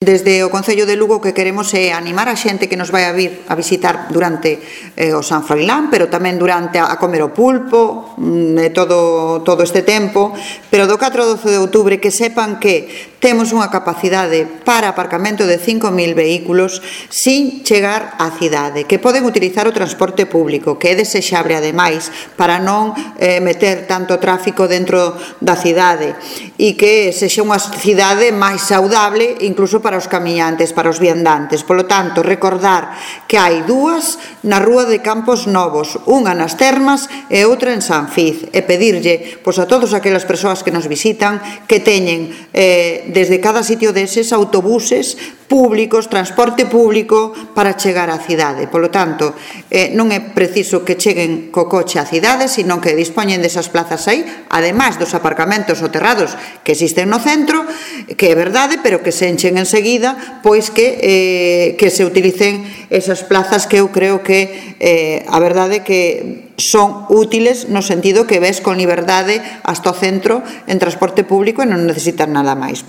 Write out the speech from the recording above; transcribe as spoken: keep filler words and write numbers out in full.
Desde o Concello de Lugo o que queremos é animar a xente que nos vai a vir a visitar durante eh, o San Froilán, pero tamén durante a, a comer o pulpo, mm, todo, todo este tempo, pero do catro ao doce de outubro que sepan que temos unha capacidade para aparcamento de cinco mil vehículos sin chegar á cidade, que poden utilizar o transporte público, que é desexable ademais para non eh, meter tanto tráfico dentro da cidade e que sexa unha cidade máis saudable incluso para os camiñantes, para os viandantes. Polo tanto, recordar que hai dúas na Rúa de Campos Novos, unha nas Termas e outra en San Fiz, e pedirlle pois, a todas aquelas persoas que nos visitan que teñen eh, desde cada sitio deses autobuses públicos, transporte público para chegar á cidade. Polo tanto, eh, non é preciso que cheguen co coche á cidade, sino que dispoñen desas plazas aí, ademais dos aparcamentos soterrados que existen no centro, que é verdade, pero que se enchen enseguida, pois que, eh, que se utilicen esas plazas que eu creo que eh, a verdade que son útiles no sentido que ves con liberdade hasta o centro en transporte público e non necesitas nada máis.